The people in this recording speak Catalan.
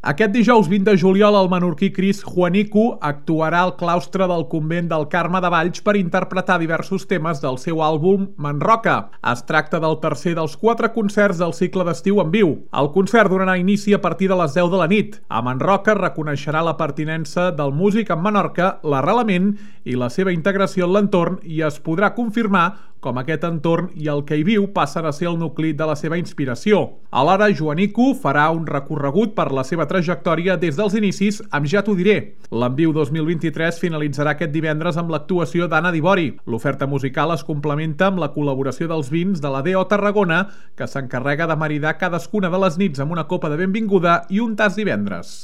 Aquest dijous 20 de juliol el menorquí Cris Juanico actuarà al claustre del convent del Carme de Valls per interpretar diversos temes del seu àlbum Manroca. Es tracta del tercer dels 4 concerts del cicle d'estiu en viu. El concert donarà inici a partir de les 10 de la nit. A Manroca reconeixerà la pertinença del músic amb Menorca, l'arrelament i la seva integració en l'entorn i es podrà confirmar com aquest entorn i el que hi viu passen a ser el nucli de la seva inspiració. Alhora, Juanico farà un recorregut per la seva trajectòria des dels inicis amb Ja t'ho diré. L'Enviu 2023 finalitzarà aquest divendres amb l'actuació d'Anna Dibori. L'oferta musical es complementa amb la col·laboració dels vins de la D.O. Tarragona, que s'encarrega de maridar cadascuna de les nits amb una copa de benvinguda i un tast divendres.